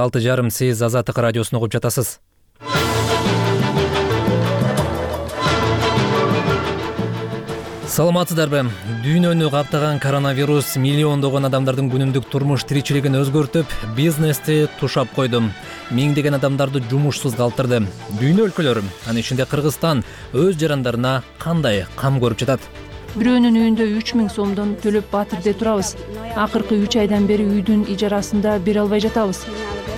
6:30 сиз Азаттык радиосун угуп жатасыз. Саламатсыздарбы? Дүйнөнү каптаган коронавирус миллиондогон адамдардын күнүмдүк турмуш тиричилигин өзгөртүп, бизнести тушап койду. Миңдеген адамдарды жумушсуз калтырды. Дүйнө өлкөлөрү, анын ичинде Кыргызстан өз жарандарына кандай кам көрүп жатат? Бирөөнүн үйүндө 3000 сомдон төлөп батирде турабыз. Акыркы 3 айдан бери үйдүн ижарасында бере албай жатабыз.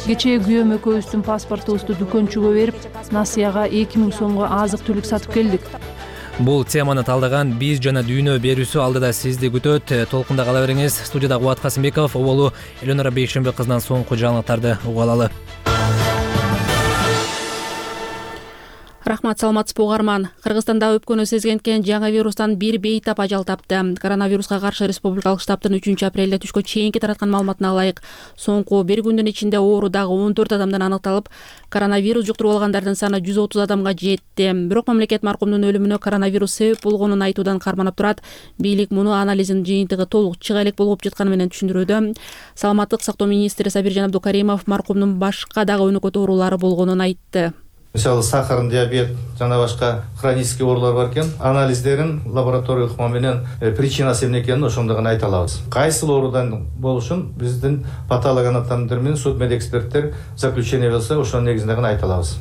Кечээ күйөөм экөөбүздүн паспортубузду дүкөнчүгө берип, насыяга 2000 сомго азык-түлүк сатып келдик. Бул теманы талдаган биз жана дүйнө берүүсү алдыда сизди күтөт. Толкунда кала бериңиз. Студияда Кубат Касымбеков, оболу Элөнара Бейшембек кызынан соңку жаңылыктарды угуп алалы. Рахмат, саламатсызбы угарман. Кыргызстанда өпкөнү сезгенткен жаңы вирустан бир бейтап ажал тапты. Коронавируска каршы республикалык штабтын 3 апрелде түшкө чейинки тараткан маалыматына ылайык, соңку бир күндүн ичинде оору дагы 14 адамдан аныкталып, коронавирус жуктуруп алгандардын саны 130 адамга жетти. Бирок мамлекет маркумдун өлүмүнө коронавирус себеп болгонун айтуудан карманып турат. Бийлик муну анализдин жыйынтыгы толук чыга элек болуп жатканы менен түшүндүрүүдө. Саламаттык сактоо министри Сабиржан Абдукаримов маркумдун башка дагы өнөкөт оорулары болгонун айтты. Мисалы сахар, диабет жана башка хронический оорулар бар экен. Анализдерин лаборатория ыкма менен причинасы эмне экенин ошондо гана айта алабыз. Кайсыл оорудан болушун биздин патологоанатомдор менен судмедэксперттер заключение берсе, ошонун негизинде гана айта алабыз.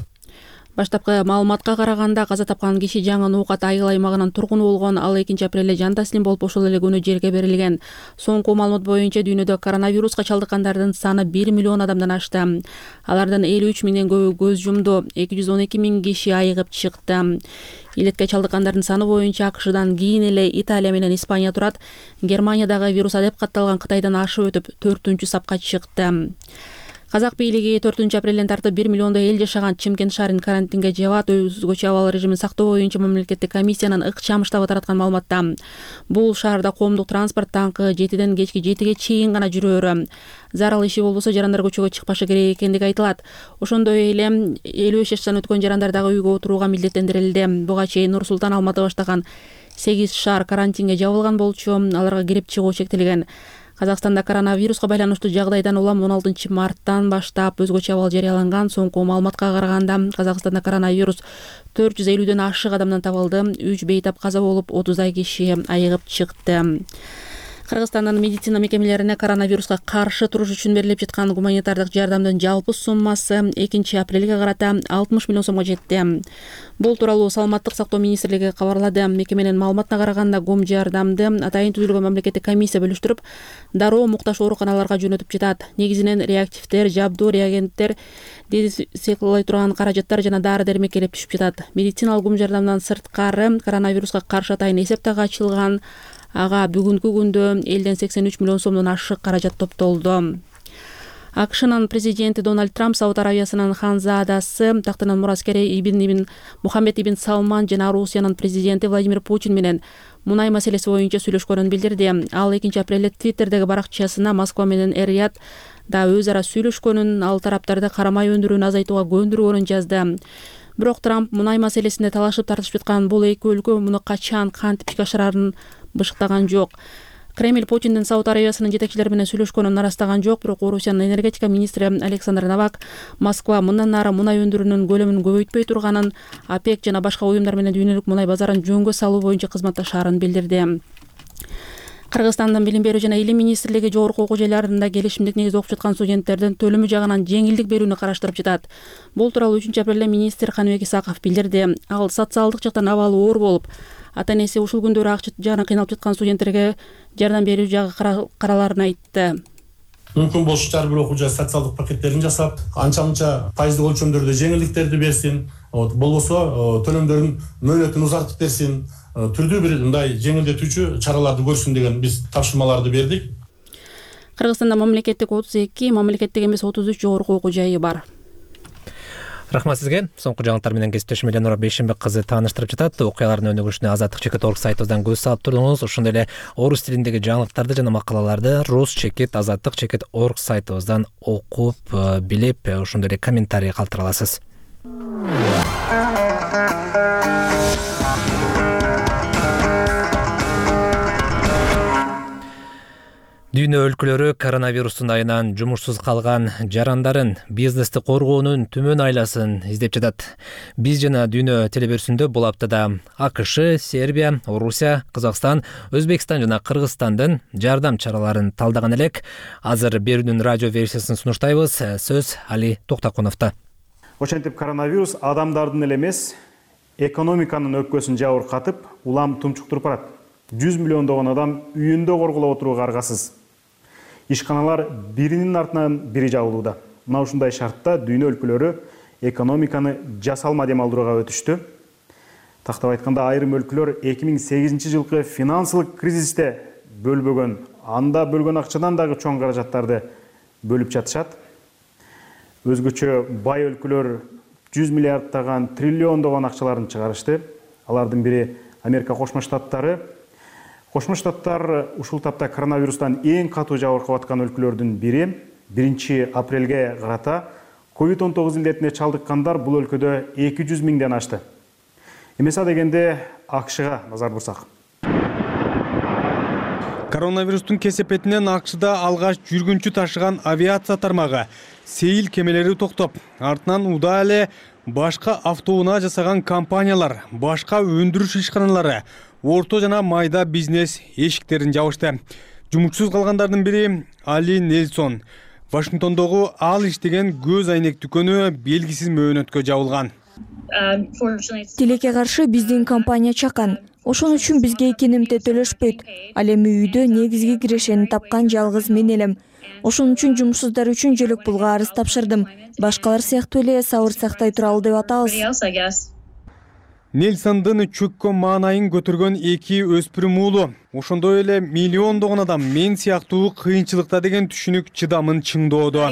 Баштапкы маалыматка караганда каза тапкан киши жаңы Нуукат айыл аймагынын тургуну болгон. Ал 2 апрелде жан таслим болуп, ошол эле күнү жерге берилген. Соңку маалымат боюнча дүйнөдө коронавируска чалдыккандардын саны 1 миллион адамдан ашты. Алардын 53 миңден көбү көз жумду, 212 миң киши айыгып чыкты. Илетке чалдыккандардын саны боюнча АКШдан кийин эле Италия менен Испания турат. Германиядагы вирус деп катталган Кытайдан ашып өтүп 4-сапка чыкты. Казак бийлиги 4 апрелден тартып 1 миллиондой эл жашаган Чымкент шаарын карантинге жабат. Өзгөчө абал режимин сактоо боюнча мамлекеттик комиссиянын ыкчам штабы тараткан маалыматта бул шаарда коомдук транспорт таңкы 7ден кечки 7ге чейин гана жүрөөрү. Зарыл иши болбосо жарандар көчөгө чыкпашы керек экендиги айтылат. Ошондой эле 55 жаштан өткөн жарандар дагы үйгө отурууга милдеттендирилди. Буга чейин Нур Султан, Алматы баштаган 8 шаар карантинге жабылган болчу. Аларга кирип чыгуу чектелген. Казакстанда коронавируска байланыштуу жагдайдан улам 16 марттан баштап өзгөчө абал жарыяланган. Соңку маалыматка караганда Казакстанда коронавирус 450ден ашык адамдан табылды. 3 бейтап каза болуп, 30дай киши айыгып чыкты. Кыргызстандын медицина мекемелерине коронавируска каршы туруш үчүн берилип жаткан гуманитардык жардамдын жалпы суммасы 2 апрелге карата 60 миллион сомго жетти. Бул тууралуу Саламаттык сактоо министрлиги кабарлады. Мекеменин маалыматына караганда гум жардамды атайын түзүлгөн мамлекеттик комиссия бөлүштүрүп, дароо муктаж ооруканаларга жөнөтүп жатат. Негизинен реактивдер, жабдуу, реагенттер, дезинфекциялай турган каражаттар жана дары-дармек келип түшүп жатат. Медициналык гум жардамдан сырткары коронавируска каршы атайын эсеп дагы ачылган. Ага бүгүнкү күндө элден 83 миллион сомдон ашык каражат топтолду. АКШнын президенти Дональд Трамп Сауд Аравиясынын ханзадасы, тактынын мураскери ибн Мухаммед ибн Салман жана Русиянын президенти Владимир Путин менен мунай маселеси боюнча сүйлөшкөнүн билдирди. Ал 2 апрелде Твиттердеги баракчасына Москва менен Эр-Рияд да өз ара сүйлөшкөнүн, ал тараптарды карамай өндүрүүнү азайтууга көндүргөнүн жазды. Бирок Трамп мунай маселесинде талашып тартышып жаткан бул эки өлкө муну качан кантип ишке ашырарын бышыктаган жок. Кремль Путиндин Сауд Аравиясынын жетекчилери менен сүйлөшкөнүн арастаган жок, бирок Орусиянын энергетика министри Александр Новак Москва мындан ары мунай өндүрүүнүн көлөмүн көбөйтпөй турганын, ОПЕК жана башка уюмдар менен дүйнөлүк мунай базарын жөнгө салуу боюнча кызматташаарын билдирди. Кыргызстандын Билим берүү жана Илим министрлиги жогорку окуу жайларында келишимдик негизде окуп жаткан студенттердин төлөмү жагынан жеңилдик берүүнү караштырып жатат. Бул тууралуу 3 апрелде министр Каныбек Исаков билдирди. Ал социалдык жактан абалы оор болуп, ата-энеси ушул күндөрү акча жагынан кыйналып жаткан студенттерге жардам берүү жагы караларын айтты. Мүмкүн болуш ар бир окуучу социалдык пакеттерин жасап, анча-мынча пайыздык өлчөмдөрдө жеңилдиктерди берсин, болбосо төлөмдөрдүн мөөнөтүн узартып берсин, түрдүү бир мындай жеңилдетүүчү чараларды көрсүн деген биз тапшырмаларды бердик. Кыргызстанда мамлекеттик 32, мамлекеттик эмес 33 жогорку окуу жайы бар. Рахмат сизге. Соңку жаңылыктар менен кесиптешим Элөнара Бейшембек кызы тааныштырып жатат. Окуялардын өнүгүшүнө Азаттык.org сайтыбыздан көз салып турдуңуз. Ошондой эле орус тилиндеги жаңылыктарды жана макалаларды Rus.Azattyk.org сайтыбыздан окуп, билип, ошондой эле комментарий калтыра аласыз. Дүйнө өлкөлөрү коронавирустун айынан жумушсуз калган жарандарын, бизнести коргоонун түмөн айласын издеп жатат. Биз жана Дүйнө телеберүүсүндө бул аптада АКШ, Сербия, Орусия, Казакстан, Өзбекстан жана Кыргызстандын жардам чараларын талдаган элек. Азыр берүүнүн радио версиясын сунуштайбыз. Сөз Али Токтакуновдо. Ошентип коронавирус адамдардын эле эмес, экономиканын өпкөсүн жабыркатып, улам тумчуктуруп барат. 100 миллиондогон адам үйүндө коргулап отурууга аргасыз. Ишканалар биринин артынан бири жабылууда. Мына ушундай шартта дүйнө өлкөлөрү экономиканы жасалма дем алдырууга өтүштү. Тактап айтканда, айрым өлкөлөр 2008 жылкы финансылык кризисте бөлбөгөн, анда бөлгөн акчадан дагы чоң каражаттарды бөлүп жатышат. Өзгөчө бай өлкөлөр 100 миллиарддаган, триллиондогон акчаларын чыгарышты. Алардын бири Америка Кошмо Штаттары. Кошмо Штаттар ушул тапта коронавирустан эң катуу жабыркап аткан өлкөлөрдүн бири. 1 апрелге карата COVID-19 илдетине чалдыккандар бул өлкөдө 200 миңден ашты. Эмесе дегенде АКШга назар бурсак. Коронавирустун кесепетинен АКШда алгач жүргүнчү ташыган авиация тармагы сейил кемелери токтоп, артынан удаа эле башка автоунаа жасаган компаниялар, башка өндүрүш ишканалары, орто жана майда бизнес эшиктерин жабышты. Жумушсуз калгандардын бири Али Нельсон. Вашингтондогу ал иштеген көз айнек дүкөнү белгисиз мөөнөткө жабылган. Тилекке каршы биздин компания чакан. Ошон үчүн бизге кенемте төлөшпөйт. Ал эми үйдө негизги кирешени тапкан жалгыз мен элем. Ошон үчүн жумушсуздар үчүн жөлөк пулга арыз тапшырдым. Башкалар сыяктуу эле сабыр сактай туралы деп атабыз. Нельсондун чөккөн маанайын көтөргөн эки өспүрүм уулу. Ошондой эле миллиондогон адам мен сыяктуу кыйынчылыкта деген түшүнүк чыдамын чыңдоодо.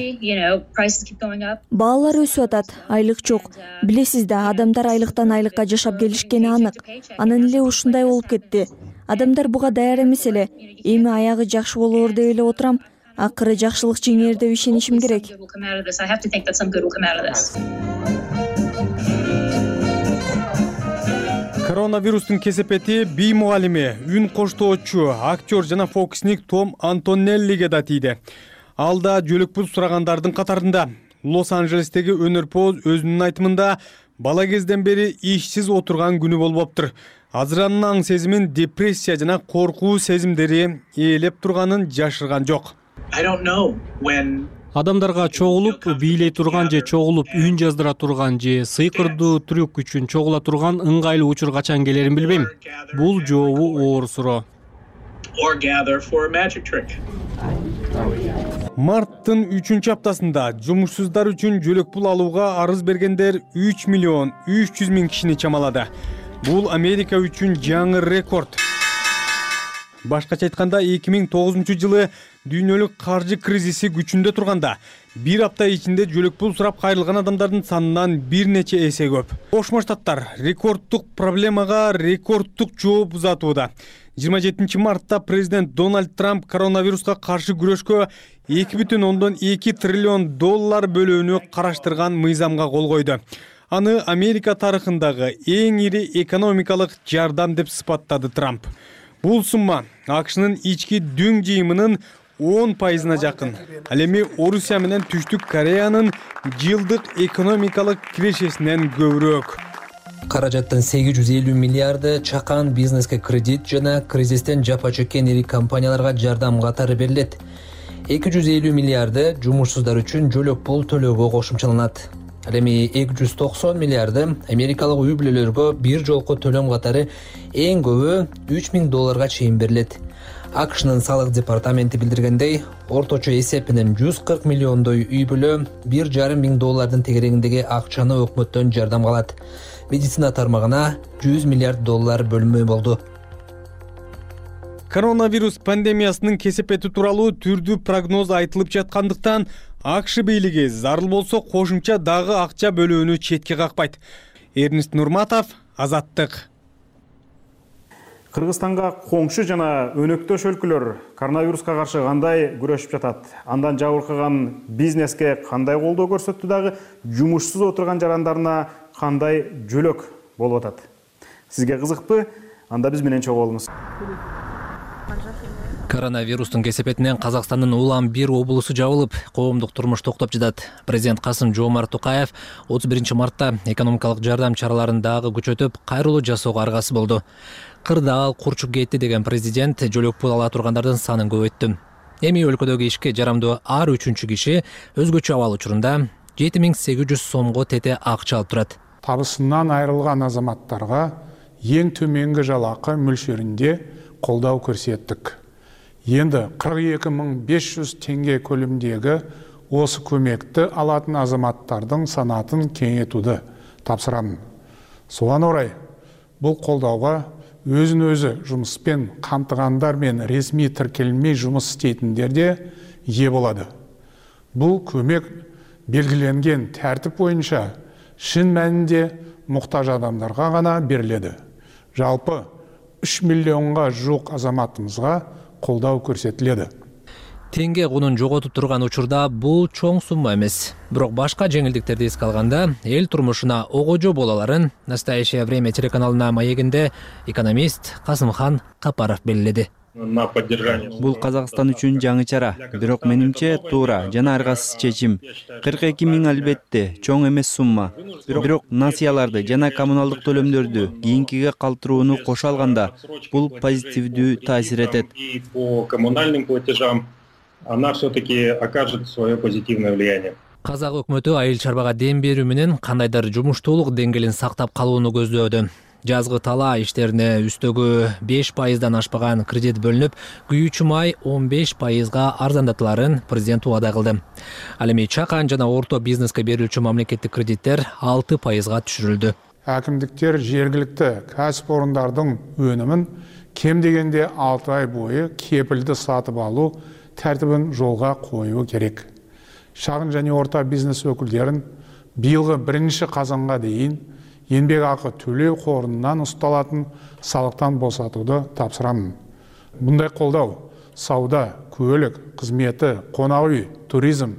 Баалар өсүп атат, айлык жок. Билесиз да, адамдар айлыктан айлыкка жашап келишкени анык. Анан эле ушундай болуп кетти. Адамдар буга даяр эмес эле. Эми аягы жакшы болоор деп эле отурам. Акыры жакшылык жеңер деп ишенишим керек. Коронавирустун кесепети бий мугалими, үн коштоочу, актер жана фокусник Том Антонеллиге да тийди. Ал да жөлөк пул сурагандардын катарында. Лос-Анджелестеги өнөрпоз өзүнүн айтымында бала кезден бери ишсиз отурган күнү болуптур. Азыр анын аң сезимин депрессия жана коркуу сезимдери ээлеп турганын жашырган жок. Адамдарга чогулуп бийлей турган же чогулуп үн жаздыра турган же сыйкырдуу трюк үчүн чогула турган ыңгайлуу учур качан келерин билбейм. Бул жообу оор суроо. Марттын 3-аптасында жумушсуздар үчүн жөлөк пул алууга арыз бергендер 3 миллион 300 миң кишини чамалады. Бул Америка үчүн жаңы рекорд. Башкача айтканда 2009 жылы дүйнөлүк каржы кризиси күчүндө турганда бир апта ичинде жөлөк пул сурап кайрылган адамдардын санынан бир нече эсе көп. Кошмо Штаттар рекордтук проблемага рекордтук жооп узатууда. 27 мартта президент Дональд Трамп коронавируска каршы күрөшкө 2,2 триллион доллар бөлүүнү караштырган мыйзамга кол койду. Аны Америка тарыхындагы эң ири экономикалык жардам деп сыпаттады Трамп. Бул сумма АКШнын ички дүң жыйымынын 10%-на жакын. Ал эми Орусия менен Түштүк Кореянын жылдык экономикалык кирешесинен көбүрөөк. Каражаттын 850 миллиарды чакан бизнеске кредит жана кризистен жапа чеккен ири компанияларга жардам катары берилет. 250 миллиарды жумушсуздар үчүн жөлөк пул төлөөгө кошумчаланат. Ал эми 290 миллиарды америкалык үй бүлөлөргө бир жолку төлөм катары эң көбү 3000 долларга чейин берилет. АКШнын салык департаменти билдиргендей, орточо эсеп менен 140 миллиондой үй бүлө 1,5 миң доллардын тегерегиндеги акчаны өкмөттөн жардам алат. Медицина тармагына 100 миллиард доллар бөлүнмө болду. Коронавирус пандемиясынын кесепети тууралуу түрдүү прогноз айтылып жаткандыктан АКШ бийлиги зарыл болсо кошумча дагы акча бөлүүнү четке какпайт. Эрнест Нурматов, Азаттык. Кыргызстанга коңшу жана өнөктөш өлкөлөр коронавируска каршы кандай күрөшүп жатат? Андан жабыркаган бизнеске кандай колдоо көрсөттү дагы жумушсуз отурган жарандарына кандай жөлөк болуп атат? Сизге кызыкпы? Анда биз менен чогуу болуңуз. Коронавирустун кесепетинен Казакстандын улам бир облусу жабылып, коомдук турмуш токтоп жатат. Президент Касым-Жомарт Токаев 31 мартта экономикалык жардам чараларын дагы күчөтүп, кайрылуу жасоого аргасы болду. Кырдаал курчуп кетти деген президент жөлөк пул ала тургандардын санын көбөйттү. Эми өлкөдөгү ишке жарамдуу ар үчүнчү киши өзгөчө абал учурунда 7800 сомго тете акча алып турат. Табысынан айрылган азаматтарга эң төменги жалакы мөлшөрүндө колдоо көрсөттүк. Енді 42.500 теңге көлемдегі осы көмекті алатын азаматтардың санатын кеңейтуді тапсырамын. Соған орай, бұл қолдауға өзін-өзі жұмыспен қамтығандар мен ресми тіркелмей жұмыс істейтіндер де ие болады. Бұл көмек белгіленген тәртіп бойынша шын мәнінде мұқтаж адамдарға ғана беріледі. Жалпы 3 миллионға жуық азаматымызға колдоо көрсөтүлөдү. Теңге кунун жоготуп турган учурда бул чоң сумма эмес. Бирок башка жеңилдиктерди эске алганда, эл турмушуна огожо боло аларын «Настоящее время» телеканалына маегинде экономист Касымхан Капаров белгиледи. Бул Казакстан үчүн жаңы чара, бирок менимче туура жана аргасыз чечим. 42 миң албетте чоң эмес сумма. Бирок насыяларды жана коммуналдык төлөмдөрдү кийинкиге калтырууну кошо алганда бул позитивдүү таасир этет. По коммунальным платежам она все-таки окажет свое позитивное влияние. Казак өкмөтү айыл чарбага дем берүү менен кандайдыр жумуштуулук деңгээлин сактап калууну көздөөдү. Жазгы тала иштерине үстөгү 5%дан ашпаган кредит бөлүнүп, күйүүчү май 15%га арзандатыларын президент убада кылды. Ал эми чакан жана орто бизнеске берилчү мамлекеттик кредиттер 6%га түшүрүлдү. Әкімдіктер жергілікті кәсіпорындардың өнімін кем дегенде 6 ай бойы кепілді сатып алу тәртібін жолға қоюу керек. Шағын және орта бизнес өкілдерін биылғы 1 қазанға дейін еңбек ақы төлеу қорынан ұсталатын салықтан босатуды тапсырамын. Бұндай қолдау сауда, көлік, қызметі, қонақ үй, туризм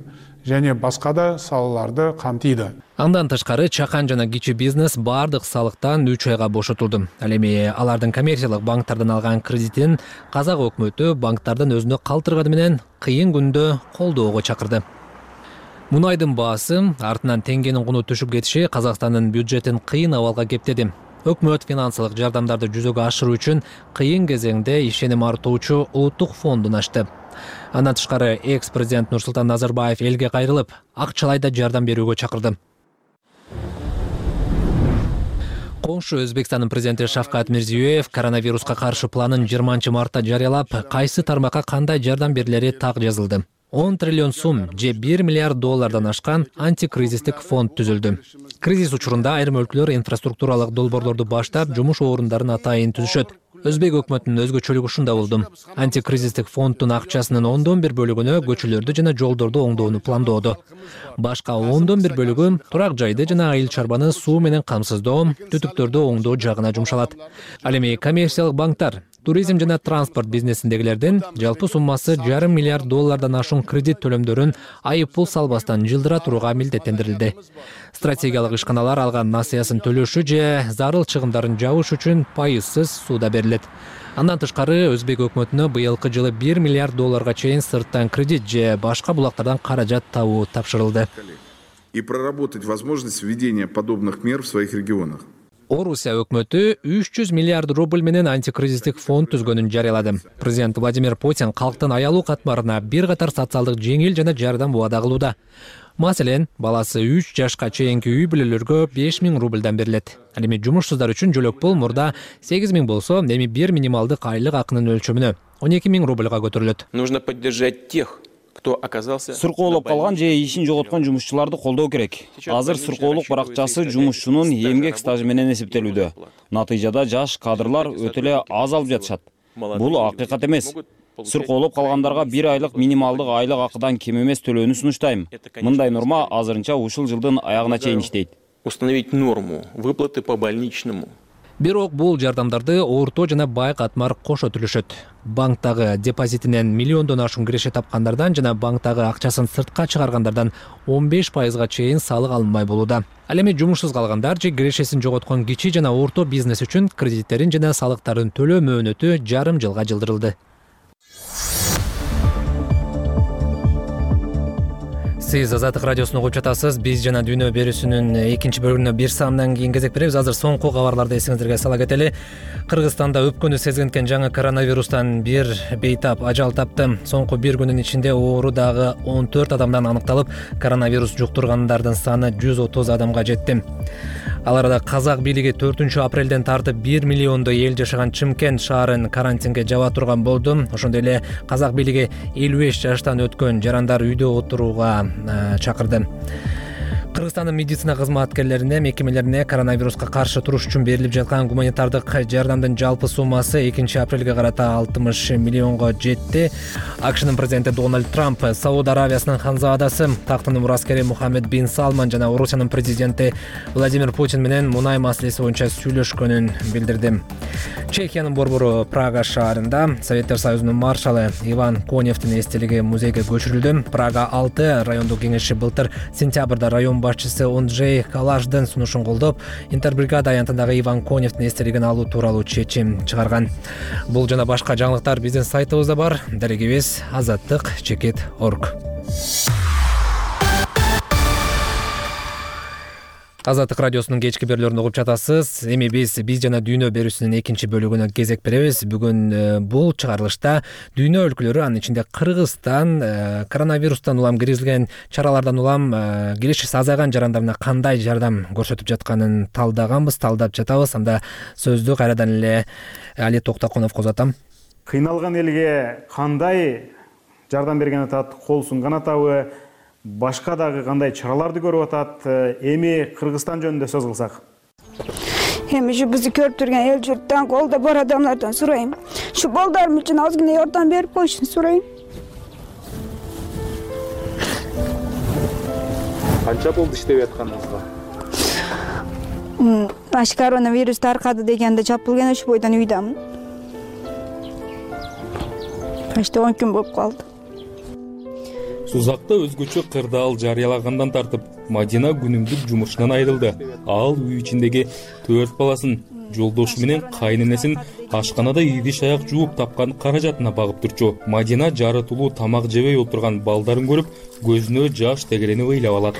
және басқа да салаларды қамтиды. Андан тышкары чакан жана кичи бизнес бардык салыктан 3 айга бошотулду. Ал эми алардын коммерциялык банктардан алган кредитин Казак өкмөтү банктардан өзүнө калтырганы менен кыйын күндө колдоого чакырды. Мунайдын баасы, артынан теңгенин куну түшүп кетиши Казакстандын бюджетин кыйын абалга кептеди. Өкмөт финансылык жардамдарды жүзөгө ашыруу үчүн кыйын кезеңде ишеним артуучу улуттук фондун ачты. Андан тышкары экс-президент Нурсултан Назарбаев элге кайрылып, акчалайда жардам берүүгө чакырды. Коңшу Өзбекстандын президенти Шавкат Мирзиёев коронавируска каршы планын 20 мартта жарыялап, кайсы тармакка кандай жардам берилери так жазылды. 10 триллион сум же $1 миллиард ашкан антикризистик фонд түзүлдү. Кризис учурунда айрым өлкөлөр инфраструктуралык долбоорлорду баштап, жумуш орундарын атайын түзүшөт. Өзбек өкмөтүнүн өзгөчөлүгү ушунда болду. Антикризистик фонддун акчасынын 1/10 бөлүгүнө көчөлөрдү жана жолдорду оңдоону пландоодо. Башка 1/10 бөлүгү турак жайды жана айыл чарбаны суу менен камсыздоо, түтүктөрдү оңдоо жагына жумшалат. Ал эми коммерциялык банктар туризм жана транспорт бизнесиндегилердин жалпы суммасы $1,5 миллиард ашуун кредит төлөмдөрүн айыппул салбастан жылдыра турууга милдеттендирилди. Стратегиялык ишканалар алган насыясын төлөшү же зарыл чыгымдарын жабыш үчүн пайызсыз сууда берилет. Андан тышкары Өзбек өкмөтүнө быйылкы жылы $1 миллиард чейин сырттан кредит же башка булактардан каражат табуу тапшырылды. И проработать возможность введения подобных мер в своих регионах. Орусия өкмөтү 300 миллиард рубль менен антикризистик фонд түзгөнүн жарыялады. Президент Владимир Путин калктын аялуу катмарына бир катар социалдык жеңил жана жардам убада кылууда. Маселен, баласы 3 жашка чейинки үй бүлөлөргө 5.000 рубльдан берилет. Ал эми жумушсуздар үчүн жөлөк пул мурда 8.000 болсо, эми бир минималдык айлык акынын өлчөмүнө 12.000 рубльга көтөрүлөт. Нужно поддержать тех, кто оказался сыркоолоп калган же ишин жоготкон жумушчуларды колдоо керек. Азыр сыркоолук баракчасы жумушчунун эмгек стажы менен эсептелүүдө. Натыйжада жаш кадрлар өтө эле аз алып жатышат. Бул акыйкат эмес. Сыркоолоп калгандарга 1 айлык минималдык айлык акыдан кем эмес төлөөнү сунуштайм. Мындай норма азырынча ушул жылдын аягына чейин иштейт. Установить норму выплаты по больничному. Бирок бул жардамдарды орто жана бай катмар кошо төлөшөт. Банктагы депозитинен миллиондон ашуун киреше тапкандардан жана банктагы акчасын сыртка чыгаргандардан 15%га чейин салык алынбай болууда. Ал эми жумушсуз калгандар же кирешесин жоготкон кичи жана орто бизнес үчүн кредиттерин жана салыктарын төлөө мөөнөтү жарым жылга жылдырылды. Сиз Азаттык радиосун угуп жатасыз. Биз жана дүйнө берүүсүнүн экинчи бөлүгүнө бир саамдан кийин кезек беребиз. Азыр соңку кабарларды эсиңиздерге сала кетели. Кыргызстанда өпкөнү сезгенкен жаңы коронавирустан бир бейтап ажал тапты. Соңку бир күнүн ичинде оорудагы 14 адамдан аныкталып, коронавирус жуктургандардын саны 130 адамга жетти. Ал арада казак бийлиги 4-апрелден тартып 1 миллиондой эл жашаган Чымкент шаарын карантинге жаба турган болду. Ошондой эле казак бийлиги 55 жаштан өткөн жарандар үйдө отурууга чакырды. Кыргызстандын медицина кызматкерлерине, мекемелерине коронавируска каршы туруш үчүн берилип жаткан гуманитардык жардамдын жалпы суммасы 2-апрелге карата 60 миллионго жетти. АКШнын президенти Дональд Трамп Сауд Аравиясынын ханзадасы, тактынын мураскери Мухаммед бин Салман жана Орусиянын президенти Владимир Путин менен мунай маселеси боюнча сүйлөшкөнүн билдирди. Чехиянын борбору Прага шаарында Советтер Союзунун маршалы Иван Коневдин эстелиги музейге көчүрүлдү. Прага 6 райондук кеңеши былтыр сентябрда район башчысы Онджей Калаждын сунушун колдоп, Интербригада аянтындагы Иван Коневдин эстелигин алуу тууралуу чечим чыгарган. Бул жана башка жаңылыктар биздин сайтыбызда бар. Дарегибиз azattik.org. Азаттык радиосунун кечки берүүлөрүн угуп жатасыз. Эми биз жана дүйнө берүүсүнүн экинчи бөлүгүнө кезек беребиз. Бүгүн бул чыгарылышта дүйнө өлкөлөрү, анын ичинде Кыргызстан коронавирустан улам киргизилген чаралардан улам киришиси азайган жарандарына кандай жардам көрсөтүп жатканын талдап жатабыз. Анда сөздү кайрадан эле Али Токтокуновго узатам. Кыйналган элге кандай жардам берген атат, кол сунган атабы, башка дагы кандай чараларды көрүп атат? Эми Кыргызстан жөнүндө сөз кылсак. Эми ушу бизди көрүп турган эл журттан, колдо бар адамдардан сурайм. Ушу балдарым үчүн азгына жардам берип коюшун сурайм. Канча болду иштеп атканыңызга? Аш коронавирус таркады дегенде чапылген ушу бойдон үйдөмүн. Почти 10 күн болуп калды. Сузакта өзгөчө кырдаал жарыялагандан тартып, Мадина күнүмдүк жумушунан айрылды. Ал үй ичиндеги 4 баласын, жолдошу менен кайненесин ашканада идиш аяк жууп тапкан каражатына багып турчу. Мадина жарытылуу тамак жебей отурган балдарын көрүп, көзүнө жаш тегеренип ыйлап алат.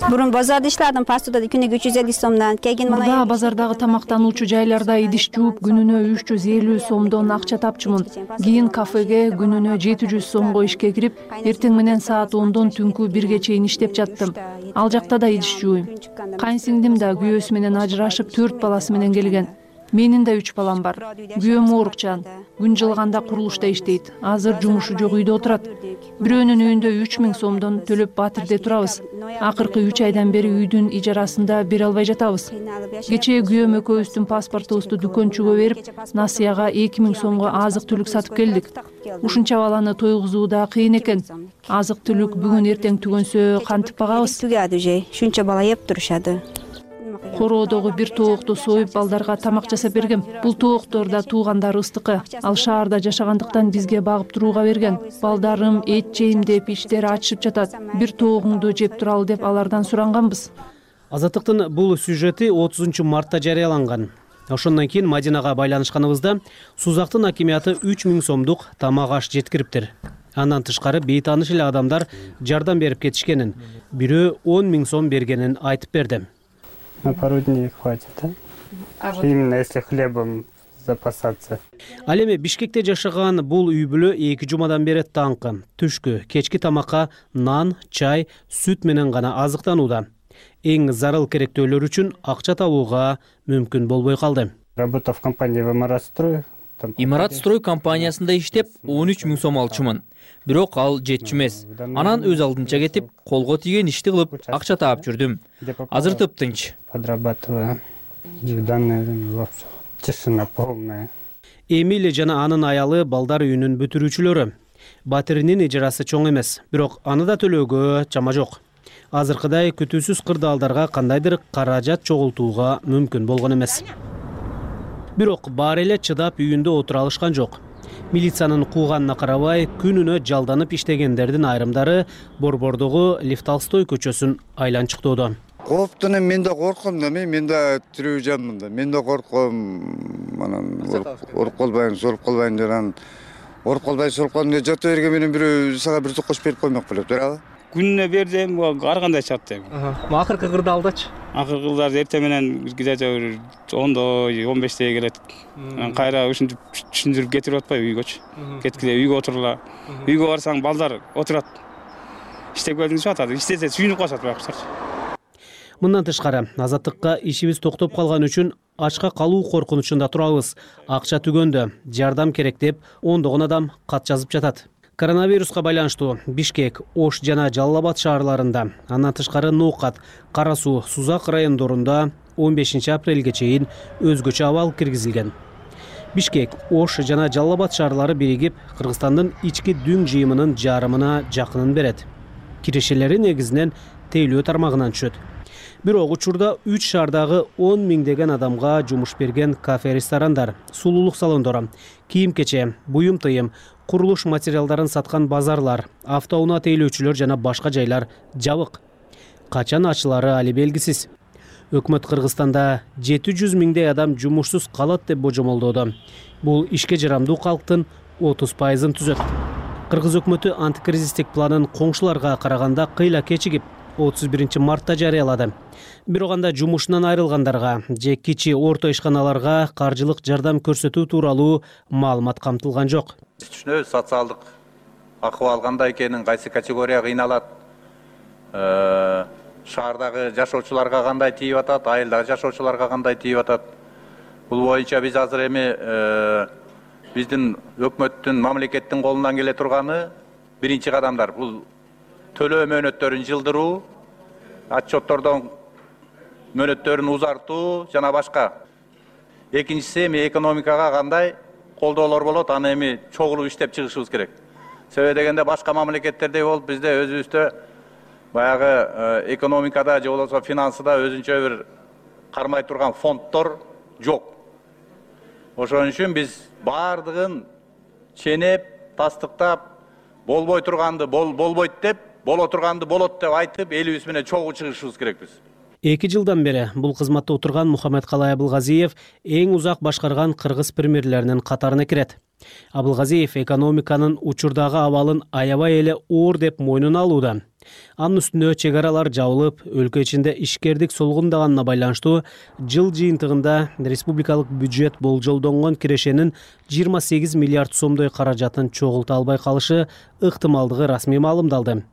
Бурун базарда иштедим, пастуда күнүгө 350 сомдон. Мурда базардагы тамактануучу жайларда идиш жууп күнүнө 350 сомдон акча тапчумун. Кийин кафеге күнүнө 700 сомго ишке кирип, эртең менен саат 10дон түнкү 1ге чейин иштеп жаттым. Ал жакта да идиш жууйм. Кайынсиңдим да күйөөсү менен ажырашып 4 баласы менен келген. Менин да 3 балам бар. Күйөөм оорукчан. Күн жылганда курулушта иштейт. Азыр жумушу жок үйдө отурат. Бирөөнүн үйүндө 3000 сомдон төлөп Батирде турабыз. Акыркы 3 айдан бери үйдүн ижарасында бере албай жатабыз. Кечээ күйөөм экөөбүздүн паспортубузду дүкөнчүгө берип, насыяга 2000 сомго азык түлүк сатып келдик. Ушунча баланы тойгузуу да кыйын экен. Азык түлүк бүгүн эртең түгөнсө кантип багабыз? Шунча бала еп турушады. Короодогу бир тоокту союп балдарга тамак жасап бергем. Бул тоокторда туугандар ыстыкы. Ал шаарда жашагандыктан бизге багып турууга берген. Балдарым эт жейм деп иштери ачышып жатат. Бир тоогуңду жеп туралы деп алардан суранганбыз. Азаттыктын бул сюжети 30 мартта жарыяланган. Ошондон кийин Мадинага байланышканыбызда Сузактын акимияты 3000 сомдук тамак аш жеткириптир. Андан тышкары бейтааныш эле адамдар жардам берип кетишкенин, бирөө 10 000 сом бергенин айтып берди. На пару дней хватит, да? Именно если хлебом запасаться. Ал эми Бишкекте жашаган бул үй бүлө 2 жумадан бери таңкы, түшкү, кечки тамакка нан, чай, сүт менен гана азыктанууда. Эң зарыл керектөөлөр үчүн акча табууга мүмкүн болбой калды. Работа в компании «Имаратстрой». «Имаратстрой» компаниясында иштеп 13 000 сом алчумун. Бирок ал жетчү эмес. Анан өз алдынча кетип, колго тийген ишти кылып, акча таап жүрдүм. Азыр тыптынч. Подрабатываю. В данное время тишина полная. Эмили жана анын аялы балдар үйүнүн бүтүрүүчүлөрү. Батиринин ижарасы чоң эмес, бирок аны да төлөөгө чама жок. Азыркыдай күтүүсүз кырдаалдарга кандайдыр каражат чогултууга мүмкүн болгон эмес. Бирок баары эле чыдап үйүндө отура алышкан жок. Милициянын кууганына карабай, күнүнө жалданып иштегендердин айрымдары Борбордогу Лев Толстой көчөсүн айланчыктоодо. Кооптун мен да корком да, мен да тирүү жанмын да. Мен да корком, анан оруп калбайын, соруп калбайын жаран. Оруп калбай, соруп калбайын жата берген менен бирөө сага бир токош берип коймок болот, туурабы? күнүнө бердим, ар кандай чат эми. Акыркы кырдаалдачы? Акыркы кырдаал эртең менен где-то 10-до 15-те келет. Кайра ушинтип түшүндүрүп кетирип атпайбы үйгөчү. Кеткиле үйгө отурула. Үйгө барсаң балдар отурат. Иштеп келдиң деп атат. Иштесе сүйүнүп калышат баягычылар. Мындан тышкары азаттыкка ишибиз токтоп калган үчүн ачка калуу коркунучунда турабыз. Акча түгөндө, жардам керек деп ондогон адам кат жазып жатат. Коронавируска байланыштуу Бишкек, Ош жана Жалал Абад шаарларында, андан тышкары Ноокат, Кара Суу, Сузак райондорунда 15 апрелге чейин өзгөчө абал киргизилген. Бишкек, Ош жана Жалал Абад шаарлары биригип, Кыргызстандын ички дүң жыйымынын жарымына жакынын берет. Кирешелери негизинен тейлөө тармагынан түшөт. Бирок учурда 3 шаардагы 10 миңдеген адамга жумуш берген кафе-ресторандар, сулуулук салондору, кийим-кече, буюм тыйым, курулуш материалдарын саткан базарлар, автоунаа тейлөөчүлөр жана башка жайлар жабык. Качан ачылары али белгисиз. Өкмөт Кыргызстанда 700 миңдей адам жумушсуз калат деп божомолдоодо. Бул ишке жарамдуу калктын 30%-ын түзөт. Кыргыз өкмөтү антикризистик планын коңшуларга караганда кыйла кечигип 31 мартта жарыялады. Бирок анда жумушунан айрылгандарга же кичи орто ишканаларга каржылык жардам көрсөтүү тууралуу маалымат камтылган жок. Түшүнөбүз социалдык акыбал кандай экенин, кайсы категория кыйналат, шаардагы жашоочуларга кандай тийип атат, айылдагы жашоочуларга кандай тийип атат. Бул боюнча биз азыр эми биздин өкмөттүн, мамлекеттин колунан келе турганы биринчи кадамдар. Бул төлөө мөөнөттөрүн жылдыруу, отчеттордон мөөнөттөрүн узартуу жана башка. Экинчиси эми экономикага кандай колдоолор болот, аны эми чогулуп иштеп чыгышыбыз керек. Себеби дегенде башка мамлекеттердей болуп бизде өзүбүздө баягы экономикада же болбосо финансыда өзүнчө бир кармай турган фонддор жок. Ошон үчүн биз бардыгын ченеп, тастыктап, болбой турганды болбойт деп, боло турганды болот деп айтып, элибиз менен чогуу чыгышыбыз керекпиз. 2 жылдан бери бул кызматта отурган Мухаммедкалай Абылгазиев эң узак башкарган кыргыз премьерлеринин катарына кирет. Абылгазиев экономиканын учурдагы абалын аябай эле оор деп мойнуна алууда. Анын үстүнө чек аралар жабылып, өлкө ичинде ишкердик солгундаганына байланыштуу жыл жыйынтыгында республикалык бюджет болжолдонгон кирешенин 28 миллиард сомдой каражатын чогулта албай калышы ыктымалдыгы расмий маалымдалды.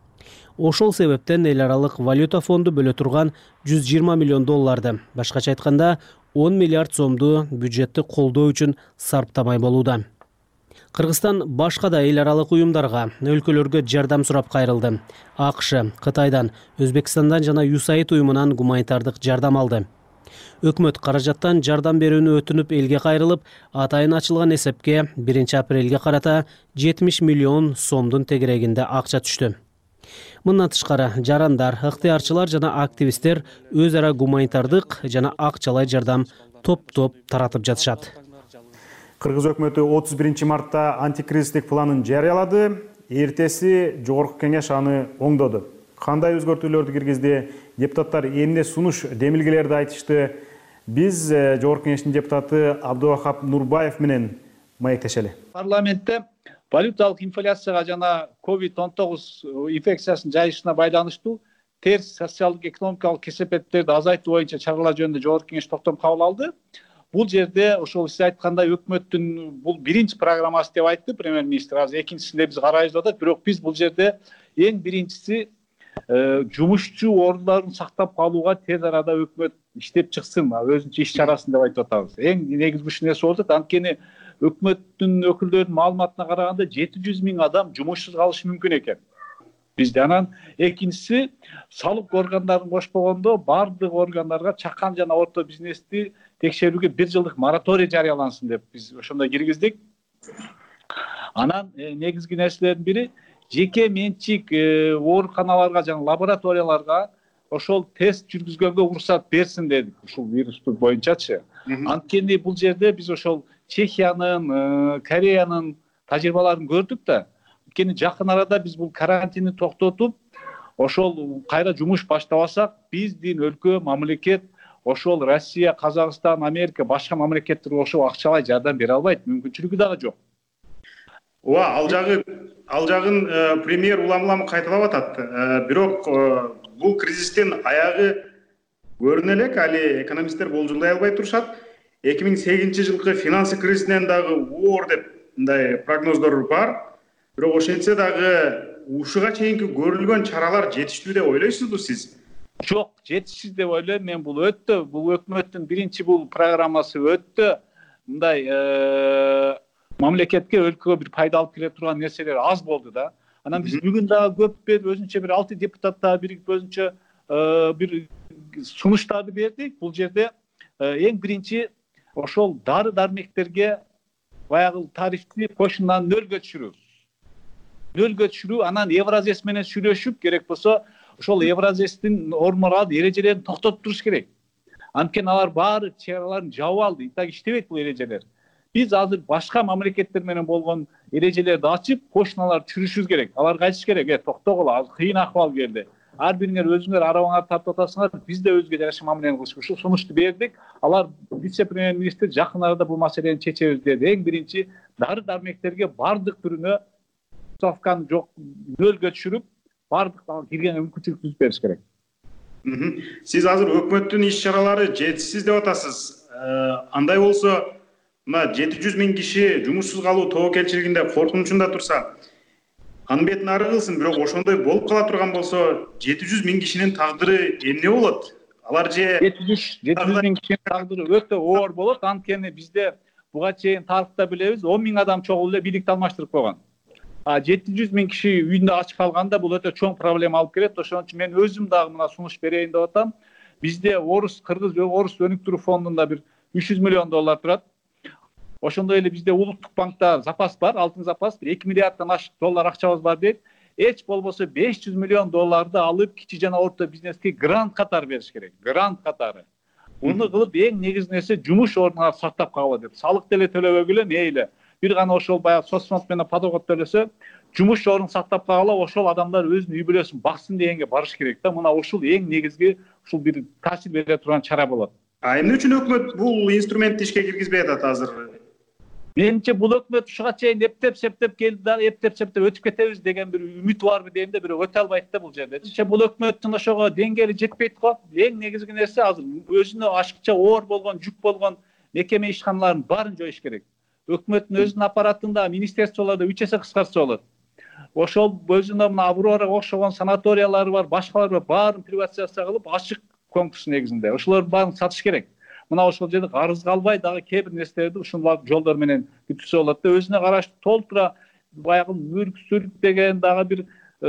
Ошол себептен эл аралык валюта фонду бөлө турган 120 миллион долларды, башкача айтканда 10 миллиард сомду бюджетти колдоо үчүн сарптамай болууда. Кыргызстан башка да эл аралык уюмдарга, өлкөлөргө жардам сурап кайрылды. АКШ, Кытайдан, Өзбекстандан жана USAID уюмунан гуманитардык жардам алды. Өкмөт каражаттан жардам берүүнү өтүнүп элге кайрылып, атайын ачылган эсепке 1 апрелге карата 70 миллион сомдун тегерегинде акча түштү. Мындан тышкары жарандар, ыктыярчылар жана активисттер өз ара гуманитардык жана акчалай жардам топ-топ таратып жатышат. Кыргыз өкмөтү 31 мартта антикризистик планын жарыялады. Эртеси жогорку кеңеш аны оңдоду. Кандай өзгөртүүлөрдү киргизди? Депутаттар эмне сунуш демилгелерди айтышты? Биз жогорку кеңештин депутаты Абдувахап Нурбаев менен маектешели. Парламентте валюталык инфляцияга жана COVID-19 инфекциясынын жайышына байланыштуу терс социалдык экономикалык кесепеттерди азайтуу боюнча чаралар жөнүндө жогорку кеңеш токтом кабыл алды. Бул жерде ошол сиз айткандай өкмөттүн бул биринчи программасы деп айтты премьер-министр. Азыр экинчисинде биз карайбыз деп атат. Бирок биз бул жерде эң биринчиси жумушчу ордундарын сактап калууга тез арада өкмөт иштеп чыксын, өзүнчө иш чарасын деп айтып атабыз. Эң негизги нерсе болуп атат. Анткени өкмөттүн өкүлдөрүнүн маалыматына караганда 700 миң адам жумушсуз калышы мүмкүн экен. Бизде анан экинчиси салык органдарын кошпогондо бардык органдарга чакан жана орто бизнести текшерүүгө 1 жылдык мораторий жарыялансын деп биз ошондой киргиздик. Анан негизги нерселердин бири жеке менчик ооруканаларга жана лабораторияларга ошол тест жүргүзгөнгө уруксат берсин дедик ушул вирусту боюнчачы. Анткени бул жерде биз ошол Чехиянын, Кореянын тажрыйбаларын көрдүк да. Анткени жакын арада биз бул карантинди токтотуп, ошол кайра жумуш баштабасак, биздин өлкө, мамлекет ошол Россия, Казакстан, Америка, башка мамлекеттерге ошол акчалай жардам бере албайт, мүмкүнчүлүгү дагы жок. ооба, ал жагын премьер улам кайталап атат. Бирок бул кризистин аягы көрүнө элек, али экономисттер болжолдой албай турушат. 2008-жылкы финансы кризисинен дагы оор деп мындай прогноздор бар. Бирок ошентсе дагы ушуга чейинки көрүлгөн чаралар жетиштүү деп ойлойсузбу сиз? Жок, жетишсиз деп ойлойм мен. Бул өкмөттүн биринчи бул программасы өттө мындай мамлекетке, өлкөгө бир пайда алып келе турган нерселер аз болду да. Анан биз бүгүн дагы көп өзүнчө бир 6 депутат дагы биригип өзүнчө бир сунуштарды бердик. Бул жерде эң биринчи ошол дары-дармектерге баягы тарифти кошундан нөлгө түшүрүү, анан Евразес менен сүйлөшүп, керек болсо ошол Евразестин нормалар, эрежелерин токтотуп туруш керек. Анткени алар баары чараларын жабып алды, так иштебейт бул эрежелер. Биз азыр башка мамлекеттер менен болгон эрежелерди ачып, кошуналарды түшүрүшүбүз керек. Аларга айтыш керек, токтогула, азыр кыйын акыбал келди. Ар бириңер өзүңөр арабаңарды тартып атасыңар, биз да өзгө жараша мамилени кылышыбыз. Ушул сунушту бердик. Алар вице-премьер-министр жакын арада бул маселени чечебиз деди. Эң биринчи дары-дармектерге бардык түрүнө ставканы жок нөлгө түшүрүп, бардык киргенге мүмкүнчүлүк түзүп бериш керек. Сиз азыр өкмөттүн иш-чаралары жетишсиз деп атасыз. Андай болсо, мына 700 000 киши жумушсуз калуу тобокелчилигинде коркунучунда турса, анын бетин ары кылсын, бирок ошондой болуп кала турган болсо, 700 000 кишинин тагдыры эмне болот? Алар же 700 000 кишинин тагдыры өтө оор болот. Анткени бизде буга чейин тарыхта билебиз, 10 000 адам чогулуп эле бийликти алмаштырып койгон. 700 000 киши үйүндө ачык калганда бул өтө чоң проблема алып келет. Ошон үчүн мен өзүм дагы мына сунуш берейин деп атам. Бизде кыргыз орус өнүктүрүү фондунда бир 300 миллион доллар турат. Ошондой эле бизде улуттук банкта запас бар, алтын запас, 2 миллиарддан ашык доллар акчабыз бар дейт. Эч болбосо 500 миллион долларды алып кичи жана орто бизнеске грант катары бериш керек. Грант катары. Муну кылып эң негизги нерсе жумуш ордуна сактап калуу деп. Салык деле төлөбөгүлө мейли. Бир гана ошол баягы соцфонд менен подоход төлөсө, жумуш ордун сактап калгыла, ошол адамдар өзүнүн үй бүлөсүн баксын дегенге барыш керек да. Мына ушул эң негизги ушул бир таасир бере турган чара болот. Эмне үчүн өкмөт бул инструментти ишке киргизбей атат азыр? Менимче бул өкмөт ушуга чейин эптеп келди да, эптеп өтүп кетебиз деген бир үмүт барбы дейм да, бирок өтө албайт да бул жерде. Бул өкмөттүн ошого деңгээли жетпейт го. Эң негизги нерсе азыр өзүнө ашыкча оор болгон, жүк болгон мекеме ишканаларын баарын жоюш керек. Өкмөттүн өзүнүн аппаратында, министрликтолордо 3 эсе кыскартса болот. Ошол өзүнө мына Аврора окшогон санаториялары бар, башкалар бар, баарын приватизация кылып, ачык конкурс негизинде ошолордун баарын сатыш керек. Мына ошол жерде карыз калбай дагы кээ бир нерселерди ушул жолдор менен бүтүрсө болот да. Өзүнө караштуу толтура баягы мүлк деген дагы бир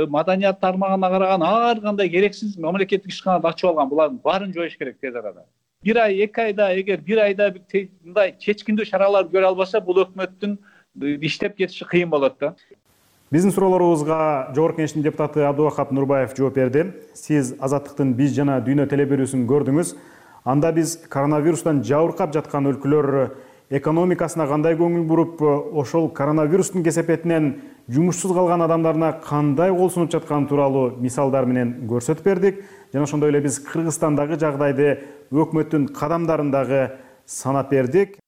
маданият тармагына караган ар кандай керексиз мамлекеттик ишканаларды ачып алган. Булардын баарын жоюш керек тез арада. 1 ай, 2 айда, эгер 1 айда мындай чечкиндүү чаралар көрө албаса, бул өкмөттүн иштеп кетиши кыйын болот да. Биздин суроолорубузга Жогорку Кеңештин депутаты Абдубакат Нурбаев жооп берди. Сиз Азаттыктын биз жана дүйнө телеберүүсүн көрдүңүз. Анда биз коронавирустан жабыркап жаткан өлкөлөр экономикасына кандай көңүл буруп, ошол коронавирустун кесепетинен жумушсуз калган адамдарына кандай кол сунуп жатканы тууралуу мисалдар менен көрсөтүп бердик. Жана ошондой эле биз Кыргызстандагы жагдайды, өкмөттүн кадамдарын дагы санап бердик.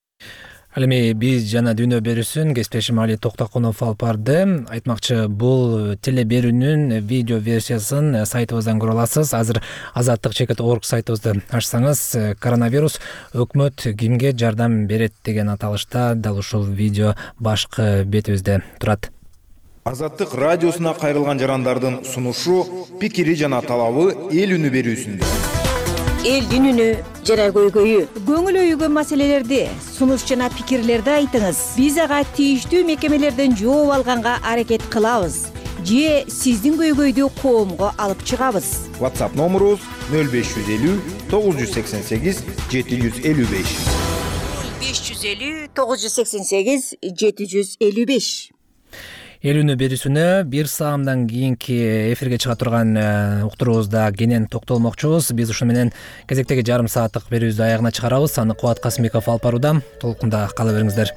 Ал эми биз жана дүйнө берүүсүн кесиптешим Али Токтокунов алып барды. Айтмакчы, бул теле берүүнүн видео версиясын сайтыбыздан көрө аласыз. Азыр azattik.org сайтыбызды ачсаңыз, коронавирус өкмөт кимге жардам берет деген аталышта дал ушул видео башкы бетибизде турат. Азаттык радиосуна кайрылган жарандардын сунушу, пикири жана талабы эл үнү берүүсүндө. Элдин үнү жара көйгөйү. Көңүл өйгөн маселелерди, сунуш жана пикирлерди айтыңыз. Биз ага тийиштүү мекемелерден жооп алганга аракет кылабыз. Же сиздин көйгөйдү коомго алып чыгабыз. WhatsApp номерубуз 0550 988 755. 550 988 755. Эл үнү берүүсүнө бир саамдан кийинки эфирге чыга турган уктуруубузда кенен токтолмокчубуз. Биз ушу менен кезектеги жарым сааттык берүүбүздү аягына чыгарабыз. Аны Кубат Касымбеков алып барууда. Толкунда кала бериңиздер.